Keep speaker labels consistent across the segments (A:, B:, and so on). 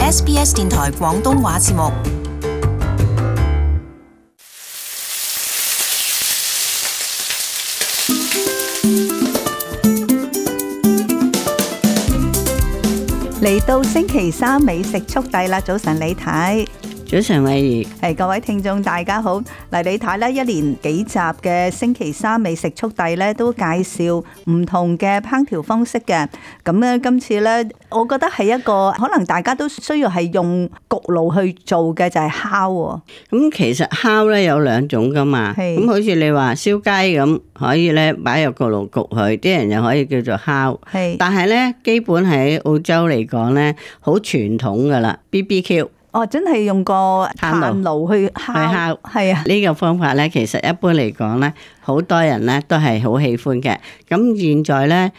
A: SBS 電台廣東話節目。
B: 嚟到星期三美食速遞啦！早晨李太，
C: 早晨慧怡，
B: 各位聽眾大家好。嗱，李太咧一連幾集嘅星期三美食速遞咧都介紹唔同嘅烹調方式嘅。咁咧今次咧，我覺得係一個可能大家都需要係用焗爐去做嘅，就係烤喎。
C: 咁其實烤咧有兩種噶嘛，咁好似你話燒雞咁，可以咧擺入焗爐焗佢，啲人又可以叫做烤。但係咧基本喺澳洲嚟講咧，好傳統噶啦 BBQ。
B: 哦，真係用個炭爐去烤，係啊！
C: 呢個方法咧，其實一般嚟講咧，好多人咧都係好喜歡嘅。咁現在咧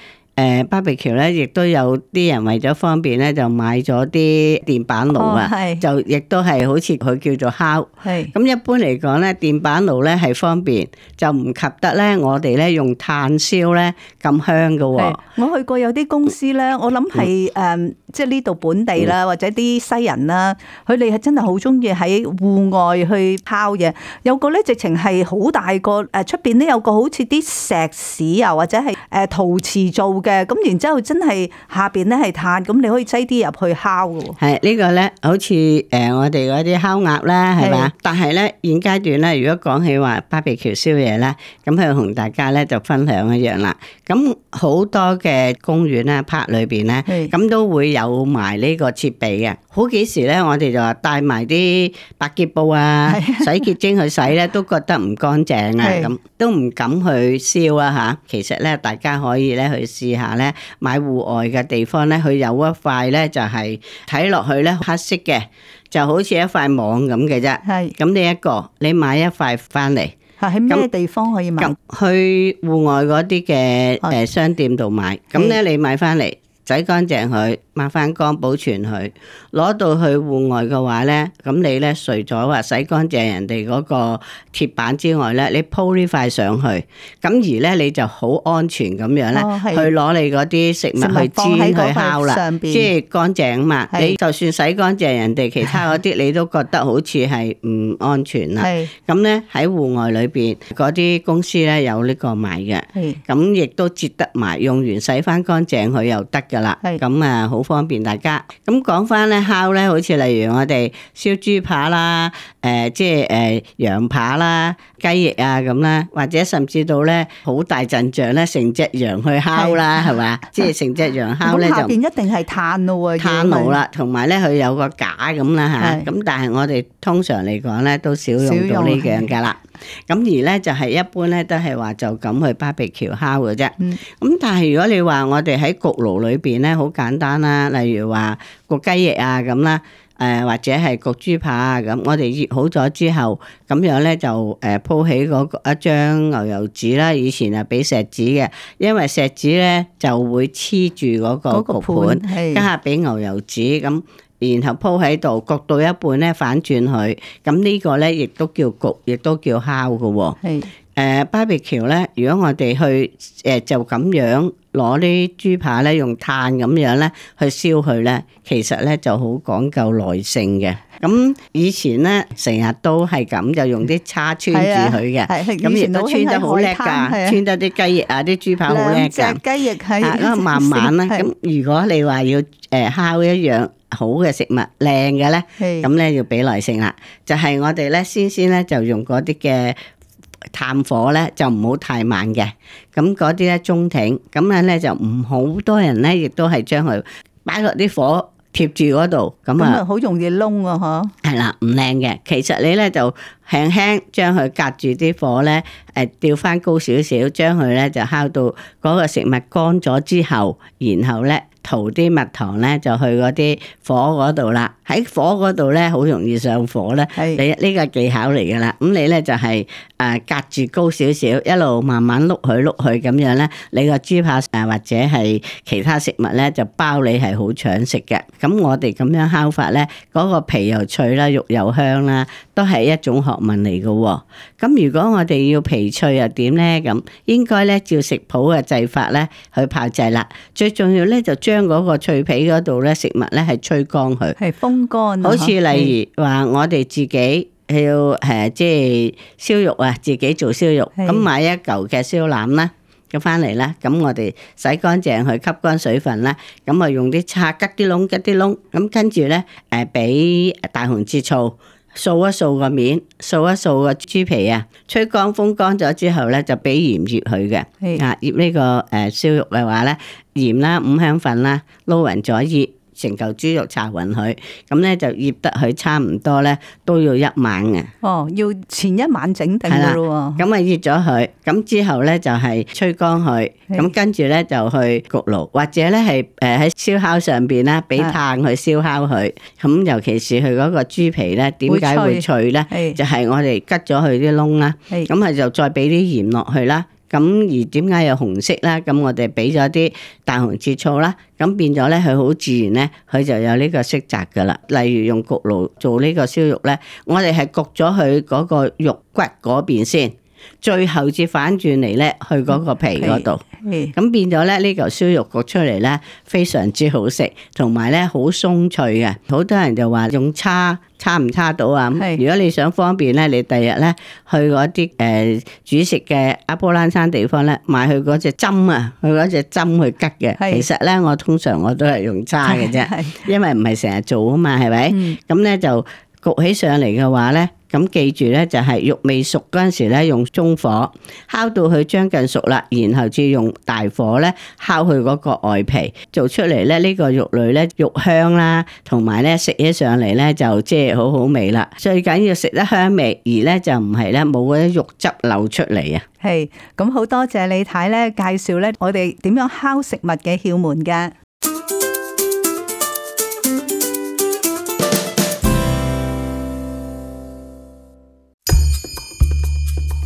C: ，BBQ 咧，亦都有啲人為咗方便咧，就買咗啲電板爐啊，就亦都係好似佢叫做烤。咁一般嚟講咧，電板爐咧係方便，就唔及得咧我哋咧用炭燒咧咁香㗎喎。
B: 我去過有啲公司咧，我諗係即係呢度本地啦，或者啲西人啦，佢哋係真係好中意喺戶外去烤嘢。有個咧直情係好大個，出邊咧有個好似啲石屎啊，或者係陶瓷做嘅。咁然之後真係下邊咧係炭，咁你可以擠啲入去烤嘅。係
C: 呢個咧，好似我哋嗰啲烤鴨啦，係嘛？但係咧現階段咧，如果講起話 BBQ 燒嘢咧，咁佢同大家咧就分享一樣啦。咁好多嘅公園咧、park 裏邊咧，咁都會有埋呢個設備嘅。好幾時咧，我哋就話帶埋啲百潔布啊、洗潔精去洗咧，都覺得唔乾淨啊，咁都唔敢去燒啊嚇。其實咧，大家可以咧去試下咧，買戶外嘅地方咧，佢有一塊咧就係睇落去咧黑色嘅，就好似一塊網咁嘅啫。咁呢一個，你買一塊翻嚟。
B: 喺咩地方可以買？
C: 去戶外嗰啲嘅商店度買。咁咧你買翻嚟，洗乾淨佢，抹翻乾，保存佢。攞到去戶外嘅話咧，咁你咧除咗話洗乾淨人哋嗰個鐵板之外咧，你鋪呢塊上去，咁而咧你就好安全咁樣咧，去攞你嗰啲食物去煎去烤啦，即係乾淨啊嘛。你就算洗乾淨人哋其他嗰啲，你都覺得好似係唔安全啦。咁咧喺戶外裏邊嗰啲公司咧有呢個賣嘅，咁亦都折得埋，用完洗翻乾淨佢又得噶啦。咁啊好方便大家。咁講翻咧烤咧，好似例如我哋燒豬扒啦，即係羊扒啦、雞翼啊咁啦，或者甚至到咧好大陣仗咧，成隻羊去烤啦，係嘛？即係成隻羊烤咧就下
B: 邊一定係炭咯喎，
C: 炭爐啦，同埋咧佢有個架咁啦嚇。咁但係我哋通常嚟講咧都少用到呢樣㗎啦。咁而咧就係一般咧都係話就咁去 BBQ 烤嘅啫。咁但係如果你話我哋喺焗爐裏邊咧，好簡單啦，例如話焗雞翼啊咁啦，或者係焗豬扒啊咁，我哋熱好咗之後，咁樣咧就鋪起一張牛油紙啦。以前係俾錫紙嘅，因為錫紙咧就會黐住嗰個焗盤，加下俾牛油紙咁。然後鋪喺度，焗到一半咧反轉佢，咁呢個咧亦都叫焗，亦都叫烤嘅喎。BBQ 咧，如果我哋去就咁樣攞啲豬扒咧，用炭咁樣咧去燒佢咧，其實咧就好講究耐性嘅。咁以前咧成日都係咁，就用啲叉穿住佢嘅，咁亦都穿得好叻㗎，穿得啲雞翼啊、啲豬扒好叻㗎。
B: 兩隻雞翼係
C: 咁慢慢啦。咁如果你話要烤一樣好嘅食物靚嘅咧，咁咧要俾耐性啦。就係我哋咧先咧就用嗰啲嘅炭火咧就唔好太慢嘅，咁嗰啲咧中挺，咁樣咧就唔好多人咧亦都係將佢擺落啲火貼住嗰度，咁啊
B: 好容易燶啊嗬。係
C: 啦，唔靚嘅。其實你咧就輕輕將佢隔住啲火咧，調翻高少少，將佢咧就烤到嗰個食物乾咗之後，然後咧塗啲蜜糖咧就去嗰啲火嗰度啦。喺火嗰度咧好容易上火咧，你呢個技巧嚟噶啦。咁你咧就係隔住高少少，一路慢慢碌佢咁樣咧，你個豬扒或者係其他食物咧就包你係好搶食嘅。咁我哋咁樣烤法咧，嗰個皮又脆啦，肉又香啦，都係一種學問嚟嘅喎。咁如果我哋要皮脆又點咧？咁應該咧照食譜嘅製法咧去炮製啦。最重要咧就將將嗰個脆皮嗰度咧食物咧係吹乾佢，
B: 係風乾。
C: 好似例如話我哋自己要即係燒肉啊，自己做燒肉，咁買一嚿嘅燒腩啦。咁翻嚟啦，咁我哋洗乾淨去吸乾水分啦，咁啊用啲叉吉啲窿，咁跟住咧俾大紅浙醋掃一掃個面，掃一掃個豬皮啊，吹乾風乾咗之後咧就俾鹽醃佢嘅，醃呢個燒肉嘅話咧鹽啦、五香粉啦撈勻咗醃。成嚿豬肉搽勻佢，咁咧就醃得佢差唔多咧，都要1晚嘅。
B: 哦，要前一晚整定嘅咯喎。
C: 咁啊醃咗佢，咁之後咧就係吹乾佢，咁跟住咧就去焗爐，或者咧係喺燒烤上邊啦，俾炭去燒烤佢。咁尤其是佢嗰個豬皮咧，點解會脆咧？就係我哋吉咗佢啲窿啦，咁啊就再俾啲鹽落去啦。咁而點解有紅色啦？咁我哋俾咗啲大紅浙醋啦，咁變咗咧佢好自然咧，佢就有呢個色澤噶啦。例如用焗爐做呢個燒肉咧，我哋係焗咗佢嗰個肉骨嗰邊先，最後至反轉嚟咧去嗰個皮嗰度。咁變咗咧呢嚿燒肉焗出嚟咧非常之好食，同埋咧好鬆脆嘅。好多人就話用叉唔叉到啊？如果你想方便咧，你第日咧去嗰啲煮食嘅阿波蘭山地方咧，買佢嗰隻針啊，佢嗰隻針去吉嘅。其實咧我通常我都係用叉嘅啫，因為唔係成日做啊嘛，係咪？咁咧就焗起上嚟嘅話咧。咁記住咧，就係肉未熟嗰陣時咧，用中火烤到佢將近熟啦，然後至用大火咧烤佢嗰個外皮，做出嚟咧呢個肉類咧肉香啦，同埋咧食起上嚟咧就即係好好味啦。最緊要食得香味，而咧就唔係咧冇嗰啲肉汁流出嚟啊。
B: 係，咁好多謝李太咧介紹咧我哋點樣烤食物嘅竅門㗎。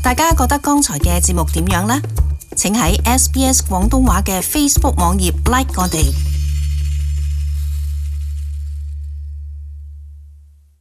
A: 大家覺得剛才嘅節目點樣呢？請喺SBS 廣東話嘅 Facebook 網頁 like 我哋。